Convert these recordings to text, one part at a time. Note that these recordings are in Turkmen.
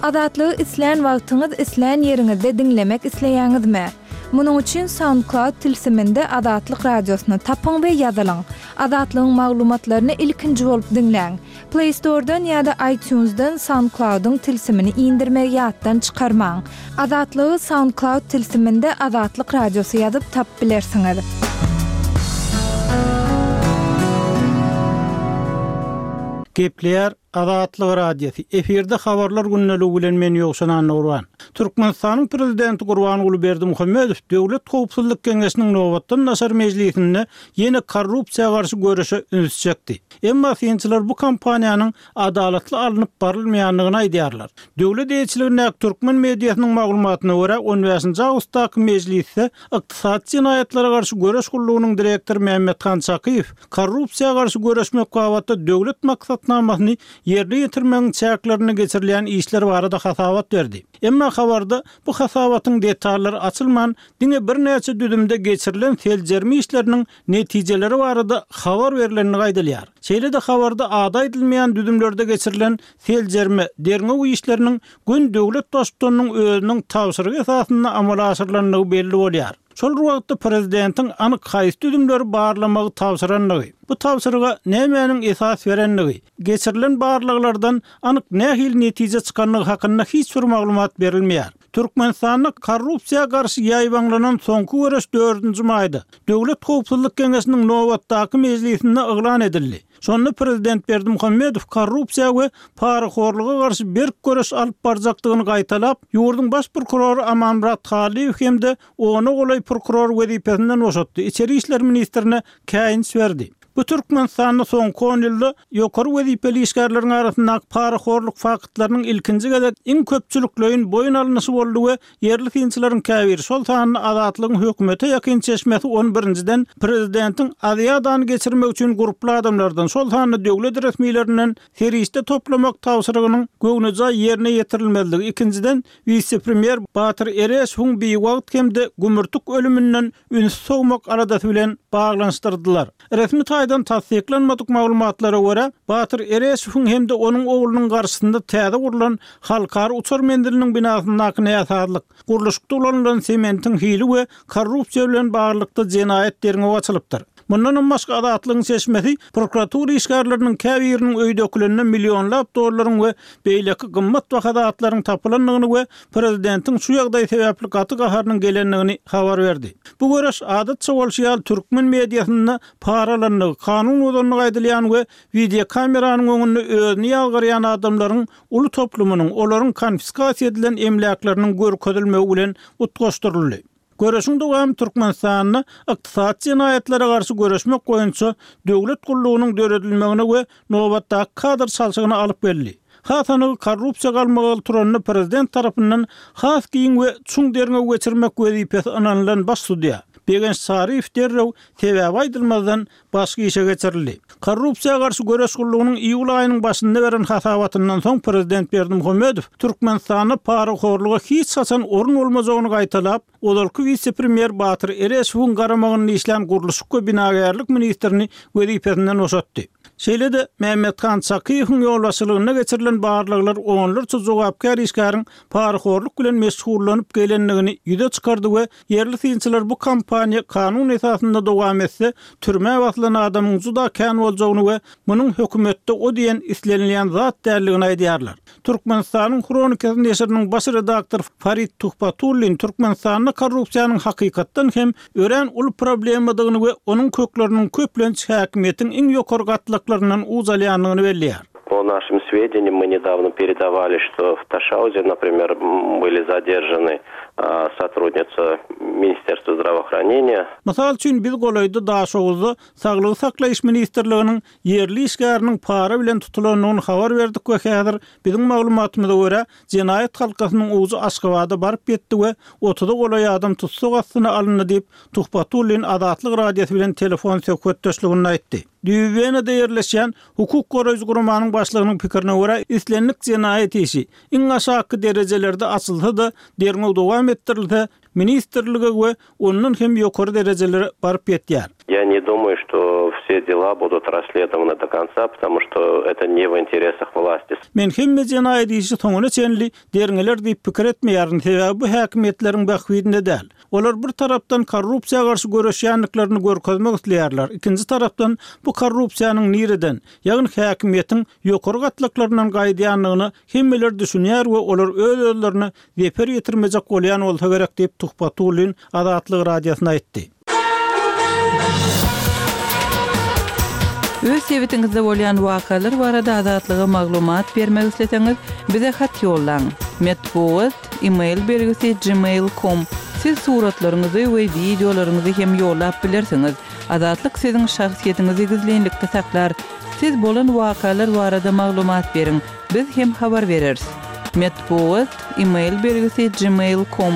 Azatlygy islän wagtyňyz, islän ýeriňizde diňlemek isleýäňizmi? Munuň üçin SoundCloud tilsiminde Azatlyk Radiosyny tapyň we ýazylyň. Azatlygyň maglumatlaryny ilkinji bolup diňläň. Play Store-dan ýa-da iTunes-dan SoundCloud-yň tilsimini indirmegi ýatdan çykarmaň. Azatlygy SoundCloud tilsiminde Azatlyk Radiosy ýazyp tapyp bilersiňiz. Gepleýär Azatlyk Radiosy, efirde Habarlar gündeligi bilen men Ýowşan Annagurban. Türkmenistanyň Prezidenti Gurbanguly Berdimuhamedow Döwlet howpsuzlyk geňeşiniň nobatdan daşary mejlisinde ýene korrupsiýa garşy göreşe üns çekdi. Emma synçylar bu kampaniýanyň adalatly alnyp barylmaýandygyny aýdýarlar. Döwlet eýeçiligindäki türkmen mediasynyň maglumatyna görä, on bäşinji awgustdaky mejlisde Ykdysady jenaýatlara garşy göreş gullugynyň direktory Mämmethan Çakyýew korrupsiýa garşy göreşmek babatda döwlet maksatnamasyny ýerine ýetirmegiň çäklerinde geçirilýän işler barada hasabat berdi. Emma habarda bu hasabatyň detallary açylman, diňe birnäçe düzümde geçirilen seljerme işleriniň netijeleri barada habar berlendigi aýdylýar. Şeýle-de habarda ady aýdylmaýan düzümlerde geçirilen seljerme, derňew işleriniň göni döwlet Baştutanynyň özüniň tabşyrygy esasynda amala aşyrylandygy belli bolýar. Şol bir wagtda prezidentiň anyk haýsy düzümleri barlamagy tabşyrandygy, bu tabşyryga nämäniň esas berendigi, geçirilen barlaglardan anyk nähili netije çykandygy hakynda hiç bir maglumat berilmeýär. Türkmenistanda korrupsiýa garşy ýaýbaňlanan soňky göreş dördünji maýda, Döwlet howpsuzlyk geňeşiniň nobatdaky mejlisinde yglan edildi. Şonda prezident Berdimuhamedow korrupsiýa we parahorluga garşy berk göreş alyp barjakdygyny gaýtalap, ýurduň baş prokurory Amanmyrat Hallyýew hem-de ona golaý prokurory wezipesinden boşatdy, içeri işler ministrine käýinç berdi. Bu Türkmenistanda soňky on ýylda ýokary wezipeli işgärleriň arasyndaky parahorluk faktlarynyň ilkinji gezek iň köpçülikleýin boýun alnyşy boldy we ýerli synçylaryň käbiri, şol sanda Azatlygyň hökümete ýakyn çeşmesi ony birinjiden, prezidentiň Aziadany geçirmek üçin gurply adamlardan, şol sanda döwlet resmilerinden serişde toplamak tabşyrygynyň göwnejaý ýerine ýetirilmezligi, ikinjiden, wise-premýer Batyr Ereşowyň biwagt hem-de gümürtik ölüminden ünsi sowmak aladasy bilen baglanyşdyrdylar. Resmi taýdan tassyklanmadyk maglumatlara görä, Batyr Ereşowyň hem-de onuň oglunyň garşysynda täze gurlan Halkara uçar menziliniň binasyndaky näsazlyk, gurluşykda ulanylan sementiň hili we korrupsiýa bilen baglylykda jenaýat derňewi açylypdyr. Mundanam başga Azatlygyň çeşmesi prokuratura işgärleriniň käbiriniň öýdekilende millionlap dollaryň we beýleki gymmatbaha zatlaryň tapylandygyny we prezidentiň şu ýagdaý sebäpli gaty gaharynyň gelendigini habar berdi. Bu göreş adatça bolşy ýaly türkmen mediasynda para alandygy, kanun bozandygy aýdylýan we wideokameranyň öňünde özüni ýazgarýan adamlaryň uly toplumynyň, olaryň konfiskasiýa edilen emläkleriniň görkezilmegi bilen utgaşdyryldy. Göreşiň dowamy Türkmenistanda ykdysady jenaýatlara garşy göreşmek boýunça döwlet gullugynyň döredilmegine we nobatdaky kadr çalşygyna alyp geldi. Has anygy korrupsiýa galmagaly turanda prezident tarapyndan has giň we çuň derňew geçirmek wezipesi ynanylan baş sudýa Begenç Saryýew derrew sebäbi aýdylmazdan başga işe geçirildi. Korrupsiýa garşy göreş gullugynyň iýul aýynyň başynda beren hasabatyndan soň prezident Berdimuhamedow Türkmenistanda parahorluga hiç haçan orun bolmajagyny gaýtalap, ozalky wise-premýer Batyr Ereşowyň garamagynda işlän gurluşyk we binagärlik ministrini wezipesinden boşatdy. Şeýle-de, Mämmethan Çakyýewiň ýolbaşçylygynda geçirilen barlaglar onlarça jogapkär işgäriň parahorluk bilen meşgullanyp gelendigini ýüze çykardy we Ýerli synçylar bu kampaniýa kanun esasynda dowam etse, türmä basylan adamyň juda kän boljagyny we munuň hökümetde o diýen islenilýän zat däldigini aýdýarlar. Türkmenistanyň Hronikasy neşiriniň baş redaktory Farid Tuhbatullin Türkmenistanda korrupsiýanyň hakykatdan hem örän uly problemadygyny we onuň kökleriniň köplenç häkimiýetiň iň ýokary gatlaklaryndan uç alýandygyny belleýär. По нашим сведениям, мы недавно передавали, что в Ташаузе, например, были задержаны сотрудница Министерства здравоохранения. Mysal üçin, biz golaýda Daşoguzda Saglygy saklaýyş ministrliginiň ýerli işgäriniň para bilen tutulandygyny habar berdik we häzir biziň maglumatymyza görä, jenaýat halkasynyň ujy Aşgabada baryp ýetdi we otuza golaý adam tussag astyna alyndy diýip, Tuhbatullin Azatlyk Radiosy bilen telefon söhbetdeşliginde aýtdy. Düýbi Wenada ýerleşýän hukuk goraýjy guramanyň başlygynyň pikirine görä, islendik jenaýat işi, iň aşaky derejelerde açylsa-da, derňew dowam etdirilse, ministrlige we ondan hem ýokary derejelere baryp ýetýär. Я не думаю, что все дела будут расследованы до конца, потому что это не в интересах власти. Men hemme jenaýat işi soňuna çenli derňeler diýip pikir etmeýärin, sebäbi bu häkimiýetleriň bähbidine däl. Olar bir tarapdan korrupsiýa garşy göreşýändiklerini görkezmek isleýärler, ikinji tarapdan bu korrupsiýanyň nireden, ýagny häkimiýetiň ýokary gatlaklaryndan gaýdýandygyna hemmeler düşünýär we olar öz-özlerine zeper ýetirmejek bolýan bolsa gerek diýip, Tuhbatullin Azatlyk Radiosyna aýtdy. Öz sebitiňizde bolýan wakalar barada Azatlyga maglumat bermek isleseňiz, bize hat ýollaň. Metbugat, e-mail belgisi gmail com. Siz suratlaryňyzy we wideolaryňyzy hem ýollap bilersiňiz. Azatlyk siziň şahsyýetiňizi gizlinlikde saklar. Siz bolan wakalar barada maglumat beriň, biz hem habar bereris. Metbugat, e-mail belgisi gmail com.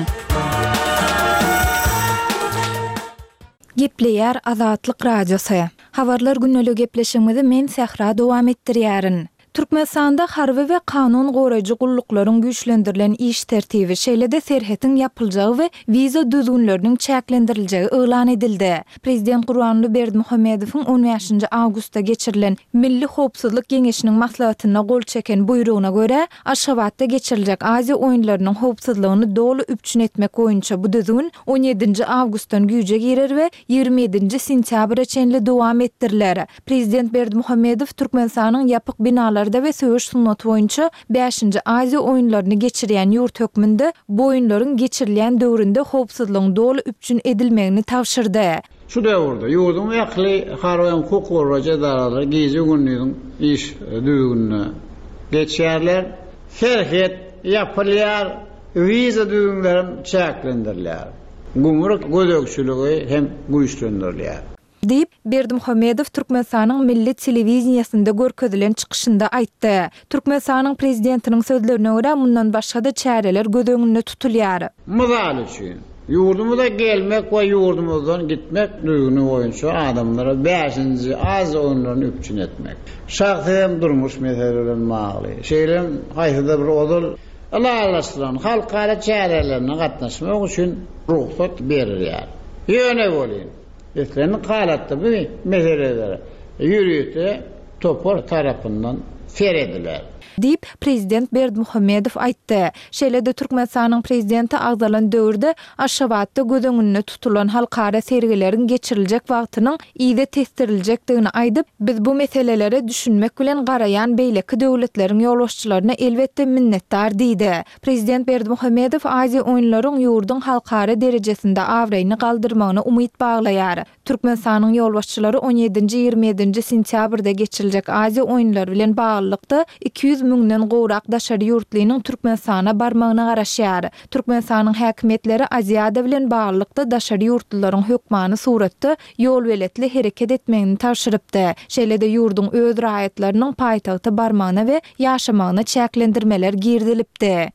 Gepleýär Azatlyk Radiosy. Habarlar gündeliği gepleşigimizi men Sähra dowam etdirýärin. Türkmenistanda harby we kanun goraýjy gulluklaryň güýçlendirilen iş tertibi, şeýle-de serhetiň ýapyljagy we wiza düzgünleriniň çäklendiriljegi yglan edildi. Prezident Gurbanguly Berdimuhamedowyň on bäşinji awgustda geçirilen Milli howpsuzlyk geňeşiniň maslahatynda gol çeken buýrugyna görä, Aşgabatda geçiriljek Aziýa oýunlarynyň howpsuzlygyny doly üpjün etmek boýunça bu düzgün on ýedinji awgustdan güýje girer we 27 ýedinji sentýabra çenli dowam etdiriler. Prezident Berdimuhamedow Türkmenistanyň ýapyk binalarda we söweş sungaty boýunça bäşinji Aziýa oýunlaryny geçirýän ýurt hökmünde bu oýunlaryň geçirilýän döwründe howpsuzlygyň doly üpjün edilmegini tabşyrdy. Şu döwürde ýurduň ähli harby hem hukuk goraýjy edaralary gije-gündiziň iş düzgünine geçýärler. Serhet ýapylýar, wiza düzgünleri hem çäklendirilýär. Gümrük gözegçiligi hem güýçlendirilýär. Diýip, Berdimuhamedow Türkmenistanyň milli telewideniýesinde görkezilen çykyşynda aýtdy. Türkmenistanyň prezidentiniň sözlerine görä, mundan başga-da çäreler göz öňünde tutulýar. Mysal üçin, ýurdumyza gelmek we ýurdumyzdan gitmek düzgüni boýunça adamlara bäşinji Aziýa oýunlaryny üpjün etmek, şahsy hem durmuş meseleleri bilen bagly, şeýle hem haýsydyr bir ozal ylalaşylan halkara çärelerine gatnaşmak üçin rugsat berilýär. Ýöne welin, Islendik halatda bu meselelere ýörite topar tarapyndan serediler. Diýip, prezident Berdimuhamedow aýtdy. Şeýle-de Türkmenistanyň prezidenti agzalan döwürde Aşgabatda göz öňünde tutulan halkara sergileriň geçiriljek wagtynyň yza tesdiriljekdigini aýdyp, Biz bu meselelere düşünmek bilen garaýan beýleki döwletleriň ýolbaşçylaryna elbetde minnetdar diýdi. Prezident Berdimuhamedow Aziýa oýunlaryň ýurduň halkara derejesinde abraýyny galdyrmagyna umyt baglaýar. Türkmenistanyň ýolbaşçylary on ýedinji, 27 ýedinji sentýabrda geçiriljek Aziýa oýunlary bilen baglylykda 200 müňden gowrak daşary ýurtlynyň Türkmenistana barmagyna garaşýar. Türkmenistanyň häkimiýetleri Aziada bilen baglylykda daşary ýurtlularyň hökmany suratda ýolbeletli hereket etmegini tabşyrypdy. Şeýle-de ýurduň öz raýatlarynyň paýtagta barmagyna we ýaşamagyna çäklendirmeler girizilipdi.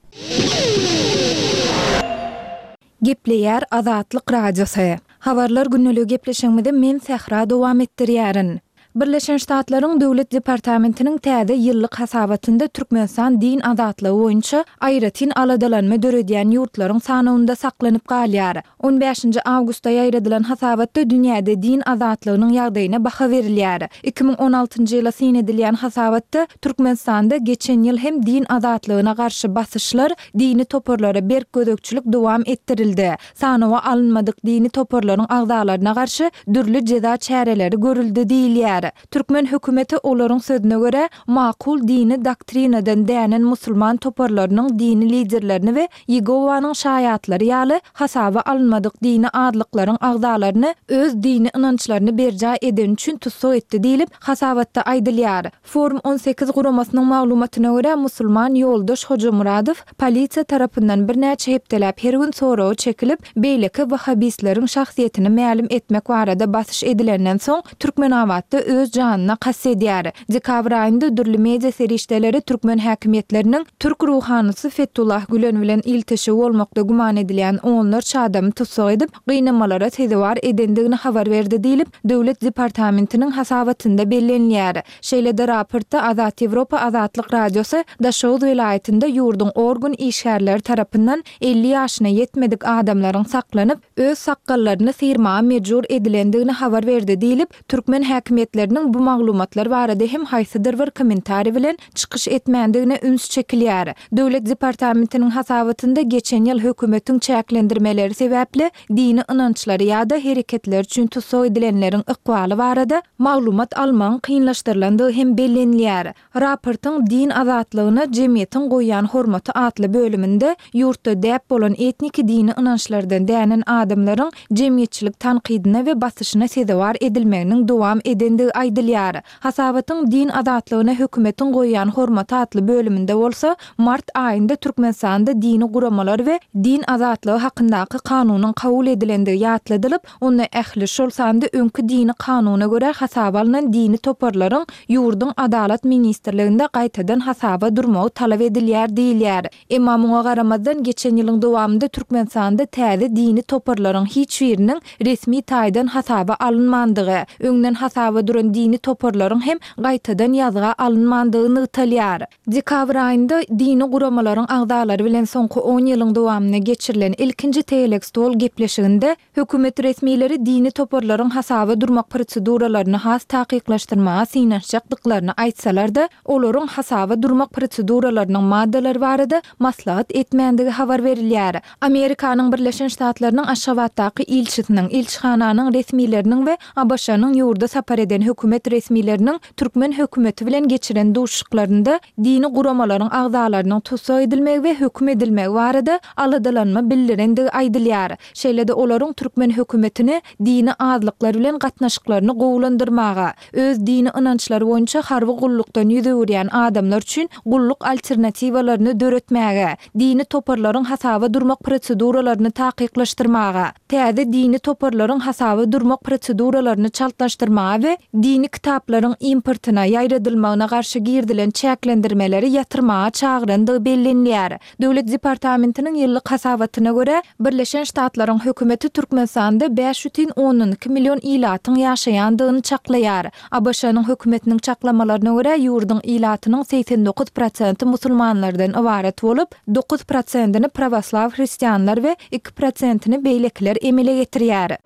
Gepleýär Azatlyk Radiosy. Habarlar gündeligi gepleşigimizi men Sähra dowam etdirýärin. Birleşen Ştatlaryň Döwlet departamentiniň täze ýyllyk hasabatynda Türkmenistan din azatlygy boýunça aýratyn aladalanma döredýän ýurtlaryň sanawynda saklanyp galýar. On bäşinji awgustda ýaýradylan hasabatda dünýäde din azatlygynyň ýagdaýyna baha berilýär. 2016-njy ýyla syn edilýän hasabatda Türkmenistanda geçen ýyl hem din azatlygyna garşy basyşlar, dini toparlara berk gözegçilik dowam etdirildi. Sanawa alynmadyk dini toparlaryň agzalaryna garşy dürli jeza çäreleri görüldi diýilýär. Türkmen hökümeti olaryň sözüne görä, makul dini doktrinadan dänen musulman toparlarynyň dini liderlerini we Ýegowanyň şaýatlary ýaly hasaba alynmadyk dini azlyklaryň agzalaryny öz dini ynançlaryny berjaý edeni üçin tussag etdi diýlip, hasabatda aýdylýar. Forum 18 guramasynyň maglumatyna görä, musulman Ýoldaş Hojamyradow polisiýa tarapyndan birnäçe hepdeläp her gün soraga çekilip, beýleki wahhabistleriň şahsyýetini mälim etmek barada basyş edilenden soň, Türkmenabatda öz janyna kast edýär. Dekabr aýynda dürli media serişdeleri türkmen häkimiýetleriniň türk ruhanysy Fetullah Gülen bilen ilteşigi bolmakda güman edilýän onlarça adamy tussag edip, gynamalara sezewar edendigini habar berdi diýlip, Döwlet departamentiniň hasabatynda bellenilýär. Şeýle-de raportda Azat Ýewropa Azatlyk Radiosy Daşoguz welaýatynda ýurduň organ işgärleri tarapyndan 50 ýaşyna ýetmedik adamlaryň saklanyp, öz sakgallaryny syrmaga mejbur edilendigini habar berdi diýlip, türkmen häkimiýetleriniň bu maglumatlar barada hem haýsydyr bir kommentariý bilen çykyş etmändigine üns çekilýär. Döwlet departamentiniň hasabatynda geçen ýyl hökümetiň çäklendirmeleri sebäpli dini ynançlary ýa-da hereketleri üçin tussag edilenleriň ykbaly barada maglumat almagyň kynlaşdyrylandygy hem bellenilýär. Raportyň Din azatlygyna jemgyýetiň goýýan hormaty atly bölüminde ýurtda däp bolan etniki dini ynançlardan dänen adamlaryň jemgyýetçilik tankydyna we basyşyna sezewar edilmeginiň dowam edendigi aýdylýar. Hasabatyň Din azatlygyna hökümetiň goýýan hormaty atly bölüminde bolsa, mart aýynda Türkmenistanda dini guramalar we din azatlygy hakyndaky kanunyň kabul edilendigi ýatladylyp, onda ähli, şol sanda öňki dini kanuna görä hasaba alnan dini toparlaryň ýurduň Adalat ministrliginde gaýtadan hasaba durmagy talap edilýär diýilýär. Emma muňa garamazdan, geçen ýylyň dowamynda Türkmenistanda täze dini toparlaryň hiç biriniň resmi taýdan hasaba alynmandygy, öňden hasaba duran dini toparlaryň hem gaýtadan ýazga alynmandygy nygtalýar. Dekabr aýynda dini guramalaryň agzalary bilen soňky on ýylyň dowamynda geçirilen ilkinji tegelek stol gepleşiginde Hökümet resmileri dini toparlaryň hasaba durmak proseduralaryny has takyklaşdyrmaga synanyşjakdyklaryny aýtsalar-da, olaryň hasaba durmak proseduralarynyň maddalary barada maslahat etmändigi habar berilýär. Amerikanyň Birleşen Ştatlarynyň Aşgabatdaky ilçisiniň, ilçihananyň resmileriniň we ABŞ-nyň ýurda sapar eden hökümet resmileriniň türkmen hökümeti bilen geçiren duşuşyklarynda dini guramalaryň agzalarynyň tussag edilmegi we höküm edilmegi barada aladalanma bildirendigi aýdylýar. Şeýle-de olaryň türkmen hökümetini dini azlyklar bilen gatnaşyklaryny gowulandyrmaga, öz dini ynançlary boýunça harby gullukdan ýüz öwürýän adamlar üçin gulluk alternatiwalaryny döretmäge, dini toparlaryň hasaba durmak proseduralaryny takyklaşdyrmaga, täze dini toparlaryň hasaba durmak proseduralaryny çaltlaşdyrmaga we dini kitaplaryň importyna, ýaýradylmagyna garşy girizilen çäklendirmeleri ýatyrmaga çagyrandygy bellenilýär. Döwlet departamentiniň ýyllyk hasabatyna görä, Birleşen Ştatlaryň hökümeti Türkmenistanda 5,2 million ilatyň ýaşaýandygyny çaklaýar. ABŞ-nyň hökümetiniň çaklamalaryna görä, ýurduň ilatynyň 89 prosenti musulmanlardan ybarat bolup, dokuz prosentini prawoslaw hristianlar we iki prosentini beýlekiler emele getirýär.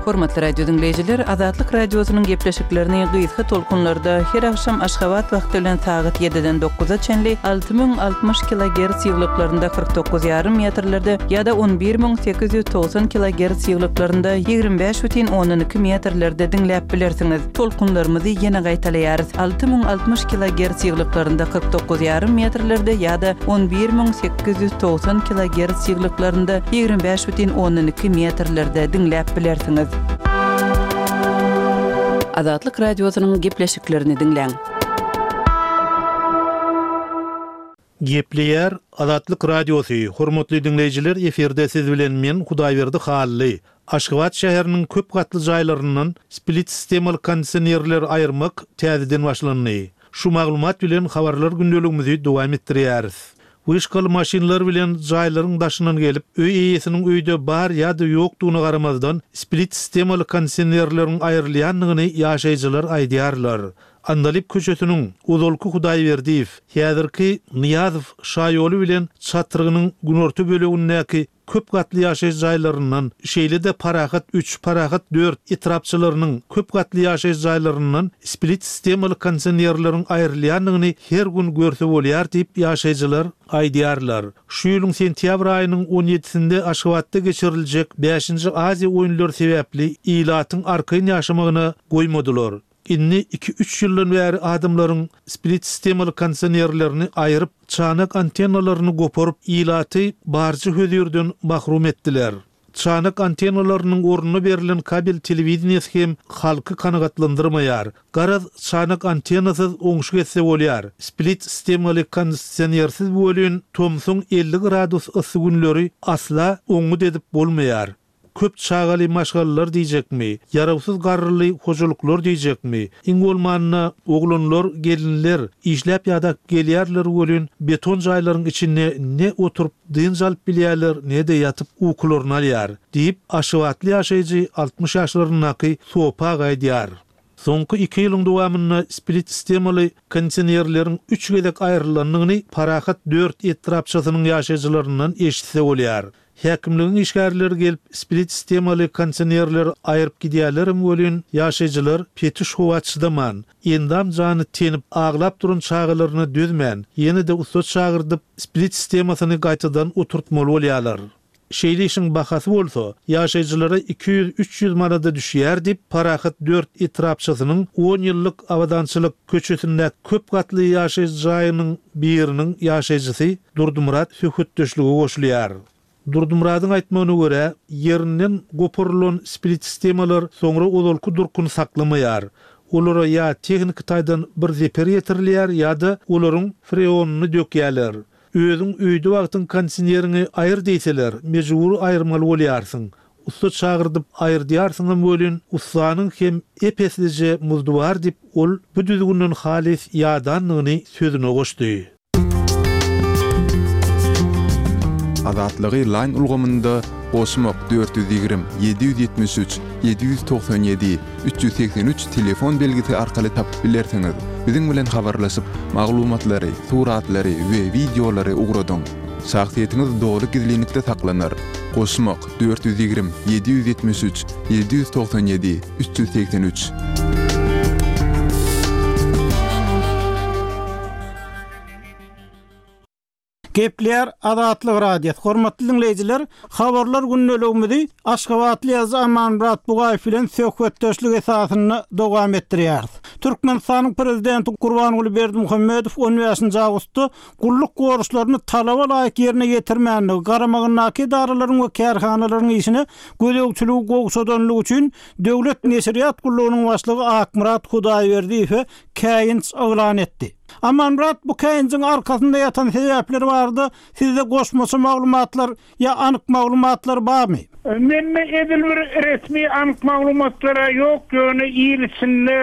Hormatly radio diňleýjiler, Azatlyk Radiosynyň gepleşiklerini gysga tolkunlarda her agşam Aşgabat wagty bilen sagat ýediden dokuza çenli 6060 kilogerts ýyglyklarynda 49 ýarym metrlerde ýa-da 11890 kilogerts ýyglyklarynda 25 bütin ondan iki metrlerde diňläp bilersiňiz. Tolkunlarymyzy ýene gaýtalaýarys, 6060 kilogerts ýyglyklarynda 49 ýarym metrlerde ýa-da 11890 kilogerts ýyglyklarynda 25 bütin ondan iki metrlerde diňläp bilersiňiz. Azatlyk Radiosynyň gepleşiklerini diňläň. Gepleýär Azatlyk Radiosy, Hormatly diňleýjiler efirde siz bilen men Hudaýberdi Hally. Aşgabat şäheriniň köp gatly jaýlaryndan split sistemaly kondisionerleri aýyrmak täzeden başlandy. Şu maglumat bilen habarlar gündeligimizi dowam etdirýäris. Wyşkaly maşynlar bilen jaýlaryň daşyndan gelip, öý eýesiniň öýde bar ýa-da ýokdugyna garamazdan, split sistemaly kondisionerleriň aýrylýandygyny ýaşaýjylar aýdýarlar. Andalyp köçesiniň ozalky Hudaýberdiýew, häzirki Nyýazow şaýoly bilen çatrygynyň günorta bölegindäki köp gatly ýaşaýyş jaýlaryndan, şeýle-de Parahat üç, Parahat dört etrapçalarynyň köp gatly ýaşaýyş jaýlaryndan split sistemaly kondisionerleriň aýrylýandygyny her gün görse bolýar diýip, ýaşaýjylar aýdýarlar. Şu ýylyň sentýabr aýynyň on ýedisinde Aşgabatda geçiriljek bäşinji Aziýa oýunlary sebäpli ilatyň arkaýyn ýaşamagyna goýmadylar. Indi iki-üç ýyldan bäri adamlaryň split sistemaly kondisionerlerini aýryp, çanak antennalaryny goparyp, ilaty barja hözirden mahrum etdiler. Çanak antennalarynyň ornuna berlen kabel telewideniýesi hem halky kanagatlandyrmaýar. Garaz, çanak antennasyz oňşuk etse bolýar. Split sistemaly kondisionersiz welin tomsuň 50 gradus yssy günleri asla oňňut edip bolmaýar. Köp çagaly maşgalalar diýjekmi, ýarawsyz garryly hojalyklar diýjekmi, iň bolmanda, oglanlar, gelinler işläp ýadap gelýärler welin, beton jaýlaryň içinde ne oturyp dynç alyp bilýärler, ne-de ýatyp ukularyny alýar, diýip, aşgabatly ýaşaýjy 60 ýaşlaryndaky Sopy aga aýdýar. Soňky iki ýylyň dowamynda split sistemaly kondisionerleriň üç gezek aýrylandygyny Parahat dört etrapçasynyň ýaşaýjylaryndan eşitse bolýar. Häkimligiň işgärleri gelip split sistemaly kondisionerleri aýryp gidýärlerem welin, ýaşaýjylar petiş howa çydaman, endam-jany tenip aglap duran çagalaryna dözmän, ýene-de ussa çagyrdyp, split sistemasyny gaýtadan oturtmaly bolýarlar. Şeýle işiň bahasy bolsa, ýaşaýjylara 200-300 manada düşýär diýip, Parahat dört etrapçasynyň on ýyllyk Abadançylyk köçesindäki köp gatly ýaşaýyş jaýynyň biriniň ýaşaýjysy Durdymyrat söhbetdeşlige goşulýar. Durdymyradyň aýtmagyna görä, ýerinden goparylan split-sistemalar soňra ozalky durkuny saklamaýar. Olara ýa tehniki taýdan bir zeper ýetirilýär ýa-da olaryň freonyny dökýärler. Özüň öýde wagtyň kondisioneriňi aýyr diýseler, mejbury aýyrmaly bolýarsyň. Ussa çagyrdyp aýyrdýarsyňam welin, ussanyň hem ep-eslije muzdy bar diýip, ol bu düzgünden halys ýadandygyny sözüne goşdy. Azatlygy Line ulgamynda goşmak 420 773 797 383 telefon belgisi arkaly tapyp bilersiňiz. Biziň bilen habarlaşyp, maglumatlary, suratlary we wideolary ugradyň. Şahsyýetiňiz doly gizlinlikde saklanar. Goşmak 420 773 797 383. Gepleýär Azatlyk Radiosy. Hormatly diňleýjiler, habarlar gündeligimizi aşgabatly ýazyjy Amanmyrat Bugaýew bilen söhbetdeşlik esasynda dowam etdirýäris. Türkmenistanyň Prezidenti Gurbanguly Berdimuhamedow on bäşinji awgustda gulluk borçlaryny talaba laýyk ýerine ýetirmändigi, garamagyndaky edaralaryň we kärhanalaryň işine gözegçiligi gowşadanlygy üçin Döwlet neşirýat gullugynyň başlygy Akmyrat Hudaýberdiýewe käýinç yglan etdi. Amanmyrat, bu käýinjiň arkasynda ýatan sebäpler barada sizde goşmaça maglumatlar ýa anyk maglumatlar barmy? Mende edil bir resmi anyk maglumatlar-a ýok, ýöne il içinde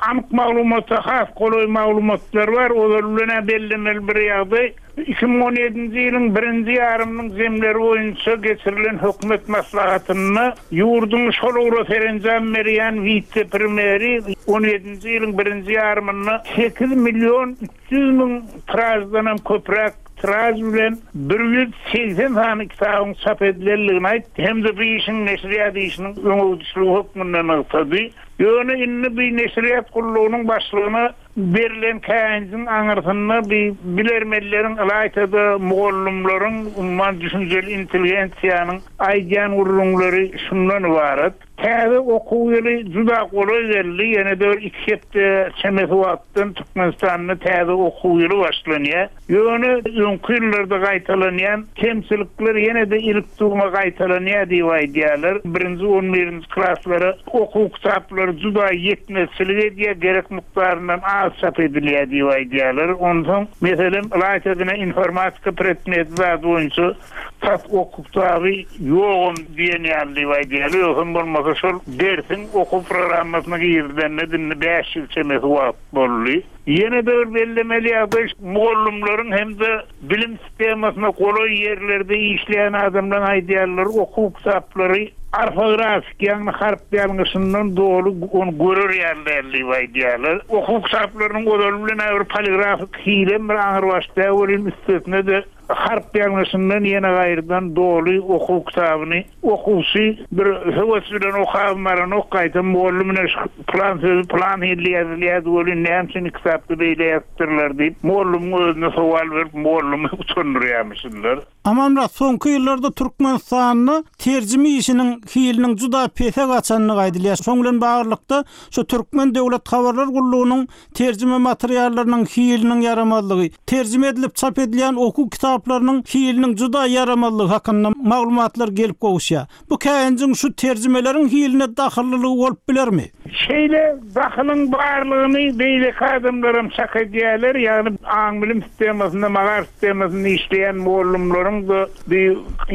anyk maglumata has golaý maglumatlar bar. Ozaly bilen-ä bellemeli bir ýagdaý, 2017-nji ýylyň birinji ýarymynyň jemleri boýunça geçirilen hökümet maslahatynda ýurduň şol ugra serenjam berýän wise-premýeri on ýedinji ýylyň birinji ýarymynda sekiz million 300 müň tiraždanam köpräk tiraž bilen 180 sany kitabyň çap edilendigini aýtdy hem-de bu işiň neşirýat işiniň öňegidişligi hökmünde nygtady. Ýöne indi bu neşirýat gullugynyň başlygyna berlen käýinjiň aňyrsynda bu bilermenleriň, ylaýta-da mugallymlaryň, umuman düşünjeli intelligensiýanyň aýdýan gürrüňleri şundan ybarat. Täze okuw ýyly juda golaý geldi, ýene-de bir iki hepde çemesi wagtdan Türkmenistanda täze okuw ýyly başlanýar. Ýöne öňki ýyllarda gaýtalanýan kemçilikler ýene-de ilik-dugma gaýtalanýar diýip aýdýarlar. Birinji, on birinji klaslara okuw kitaplary juda ýetmezçilik edýär, gerek mukdaryndan az çap edilýär diýip aýdýarlar. Onsoň, meselem, ylaýta-da informatika predmeti zady boýunça Tas okuw kitaby ýogam diýen ýaly diýip aýdýarlar. Ýogsam bolmasa şol dersiň okuw programmasyna girizilenine indi bäş ýyl çemesi wagt boldy. Ýene-de bir bellemeli ýagdaý, mugallymlaryň hem-de bilim sistemasyna golaý ýerlerde işleýän adamlaryň aýdýanlary okuw kitaplary orfografik, ýagny harp ýalňyşyndan doly ony görer ýaly däl diýip aýdýarlar. Okuw kitaplarynyň ozaly bilen-ä bir poligrafik hilem bir aňrybaş däl welin üstesine-de Harp ýalňyşyndan ýene gaýrydan doly okuw kitabyny okuwçy bir höwes bilen okabam baranok, gaýtam mugallym ine şu pylan sözi pylan hilli ýazylýardy welin näme üçin kitapda beýle ýazypdyrlar diýip, mugallymyň özüne sowal berip mugallymy utandyrýarmyşynlar. Amanmyrat, soňky ýyllarda Türkmenistanda terjime işiniň hiliniň juda pese gaçandygy aýdylýar. Şoň bilen baglylykda, şu Türkmen döwlet habarlar gullugynyň terjime materiallarynyň hiliniň ýaramazlygy, terjime edilip çap edilýän okuw kitaplarynyň. kitaplarynyň hiliniň juda ýaramazlygy hakynda maglumatlar gelip gowuşýar. Bu käýinjiň şu terjimeleriň hiline dahyllylygy bolup bilermi? Şeýle dahylyň barlygyny beýleki adamlaram çak edýärler, ýagny aň-bilim sistemasynda, magaryf sistemasynda işleýän mugallymlaryň-da, bi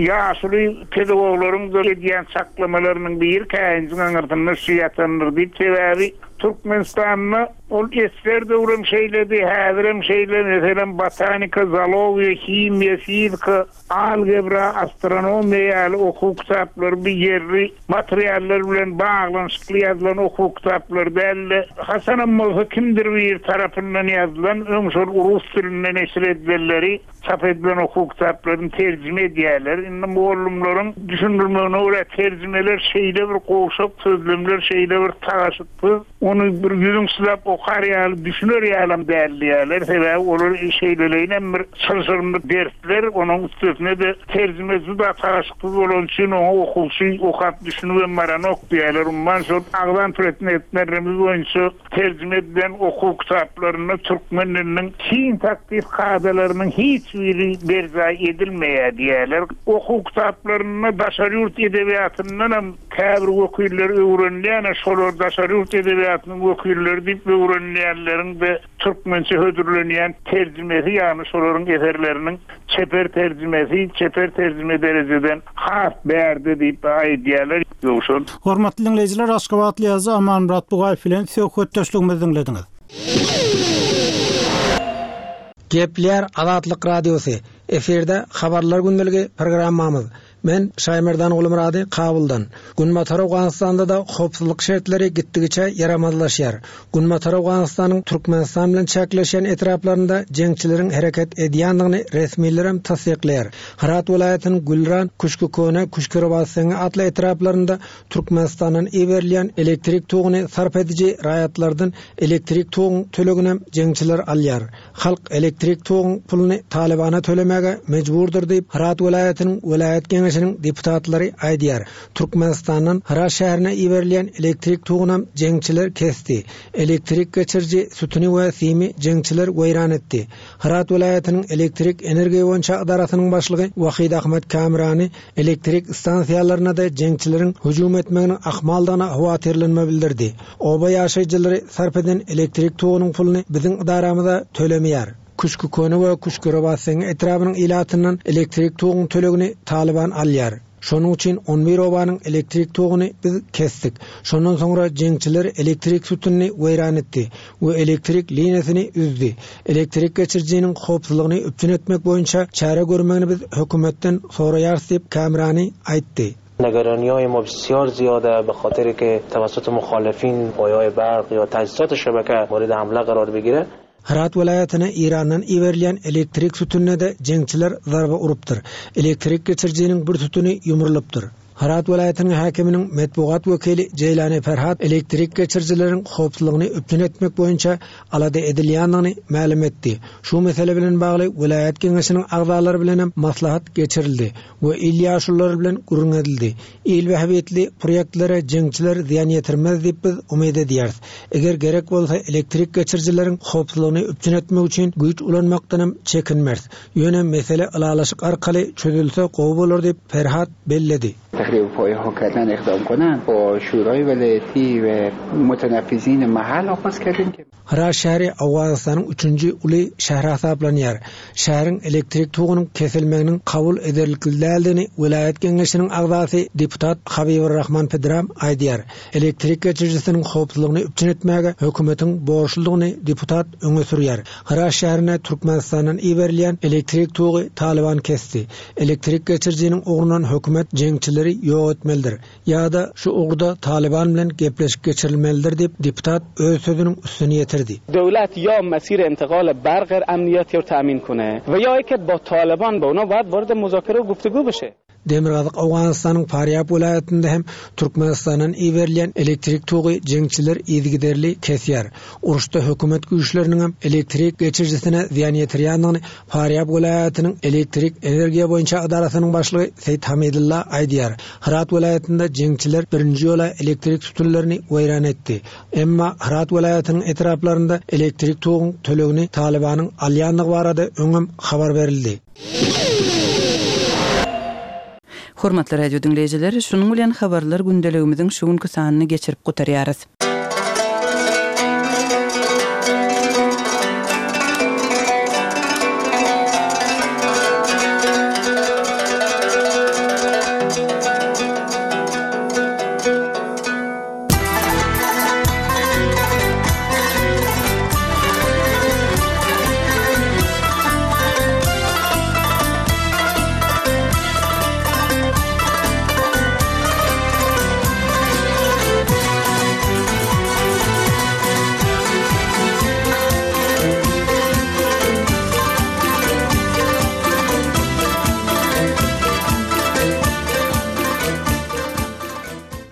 ýaşuly pedagoglaryň-da edýän çaklamalarynyň biri käýinjiň aňyrsynda şu ýatandyr diýip, sebäbi Türkmenistanda ol esger döwrem şeýledi, häzirem şeýle, meselem, botanika, zoologiýa, himiýa, fizika, Algebra, astronomiýa ýaly okuw kitaplary bu ýerli materiallar bilen baglanyşykly ýazylan okuw kitaplary däl-de, haçanam bolsa kimdir biri tarapyndan ýazylan, öň şol rus dilinde neşir edilenleri, çap edilen okuw kitaplaryny terjime edýärler. Indi mugallymlaryň düşündirmegine görä, terjimeler şeýle bir gowşak, sözlemler şeýle bir tagaşyksyz, Ony bir ýüzüň sylap okar ýaly, düşüner ýalam däl diýýärler. Sebäbi olar şeýleleýinem bir çylşyrymly dersler, onuň üstesine-de terjime juda tagaşyksyz bolany üçin oňa okuwçy okap düşünibem baranok diýýärler. Umuman şol agzan predmetlerimiz boýunça terjime edilen okuw kitaplarynda türkmen diliniň sintaksis kadalarynyň hiç biri berjaý edilmeýär diýýärler. Okuw kitaplarynda daşary ýurt edebiýatyndanam Käbir wekiller öwrenilýän-ä şolar daşary ýurt edebiýatynyň wekilleri diýip öwrenilýänleriň-de türkmençe hödürlenýän terjimesi, ýagny şolaryň eserleriniň çeper terjimesi çeper terjime derejeden has bärde diýip aýdýarlar. Ýowşan. Hormatly diňleýjiler, aşgabatly ýazyjy Amanmyrat Bugaýew bilen söhbetdeşligimizi diňlediňiz. Gepleýär Azatlyk Radiosy, efirde Habarlar gündeligi programmamyz. Men Şaýmerdan Gulmyrady Kabuldan. Günbatar Owganystanda-da howpsuzlyk şertleri gitdigiçe ýaramazlaşýar. Günbatar Owganystanyň Türkmenistan bilen çäkleşýän etraplarynda jeňçileriň hereket edýändigini resmilerem tassyklaýar. Hyrat welaýatynyň Gülran, Küşkiköne, Küşkirobatseňňi atly etraplarynda Türkmenistandan iberilýän elektrik toguny sarp ediji raýatlardan elektrik toguň töleginem jeňçiler alýar. Halk elektrik toguň puluny Talybana tölemäge mejburdyr diýip, Hyrat welaýatynyň welaýat geňeşiniň deputatlary aýdýar. Türkmenistandan Hyrat şäherine iberilýän elektrik togunam jeňçiler kesdi. Elektrik geçiriji sütüni we simi jeňçiler weýran etdi. Hyrat welaýatynyň elektrik energiýa boýunça ydarasynyň başlygy Wahid Ahmad Kamrani elektrik stansiýalaryna-da jeňçileriň hüjüm etmeginiň ahmaldygyna howatyrlanma bildirdi. Oba ýaşaýjylary sarp eden elektrik togunyň puluny biziň ydaramyza tölemeýär. Küşkiköne we Küşkirobatseňňi etrabynyň ilatyndan elektrik toguň tölegini Talyban alýar. Şonuň üçin on bir obanyň elektrik toguny biz kesdik. Şondan soňra jeňçiler elektrik sütünini weýran etdi we elektrik liniýasyny üzdi. Elektrik geçirijiniň howpsuzlygyny üpjün etmek boýunça çäre görmegini biz hökümetden soraýarys diýip, Kamrani aýtdy. نگرانی ما بسیار زیاده به خاطر که توسط مخالفین پایه‌های برق یا تجهیزات شبکه مورد حمله قرار بگیره. Hyrat welaýatyna Eýrandan iberilýän elektrik sütünine-de jeňçiler zarba urupdyr. Elektrik geçirijiniň bir sütüni ýumrulypdyr. Hyrat welaýatynyň häkiminiň metbugat wekili Jeýlani Ferhat elektrik geçirijileriň howpsuzlygyny üpjün etmek boýunça alada edilýändigini mälim etdi. Şu mesele bilen bagly welaýat geňeşiniň agzalary bilenem maslahat geçirildi. We il ýaşululary bilen gürrüň edildi. Il bähbitli proýektlere jeňçiler zyýan ýetirmez diýip biz umyt edýäris. Eger gerek bolsa elektrik geçirijileriň howpsuzlygyny üpjün etmek üçin güýç ulanmakdanam çekinmeris. Ýöne mesele ylalaşyk arkaly çözülse gowy bolar diýip Ferhat belledi. تخریب پایه ها کردن اقدام کنند با شورای ولایتی و متنفذین محل آغاز کردیم که Hyrat şäheri Owganystanyň üçünji uly şäheri hasaplanýar. Şäheriň elektrik togunyň kesilmeginiň kabul ederlikli däldigini welaýat geňeşiniň agzasy deputat Habibur-Rahman Pedram aýdýar. Elektrik geçirijisiniň howpsuzlygyny üpjün etmäge hökümetiň borçludygyny deputat öňe sürýär. Hyrat şäherine Türkmenistandan iberilýän elektrik togy Talyban kesdi. Elektrik geçirijiniň ugrundan hökümet jeňçileri ýok etmelidir. Ýa-da şu ugurda Talyban bilen gepleşik geçirilmelidir diýip, deputat öz sözüniň üstüni ýetirdi. دولت یا مسیر انتقال برق امنیتی رو تامین کنه و یا اینکه با طالبان با اونا باید وارد مذاکره و گفتگو بشه. Demirgazyk Owganystanyň Farýab welaýatynda hem Türkmenistandan iberilýän elektrik togy jeňçiler yzygiderli kesýär. Uruşda hökümet güýçleriniňem elektrik geçirijisine zyýan ýetirýändigini Farýab welaýatynyň elektrik energiýa boýunça edarasynyň başlygy Seýit Hamidulla aýdýar. Hyrat welaýatynda jeňçiler birinji ýola elektrik sütünlerini weýran etdi. Emma Hyrat welaýatynyň etraplarynda elektrik toguň tölegini Talybanyň alýandygy barada öňem habar berildi. Hormatly radio diňleýjiler, şunuň bilen Habarlar gündeligimiziň şu günki sanyny geçirip gutarýarys.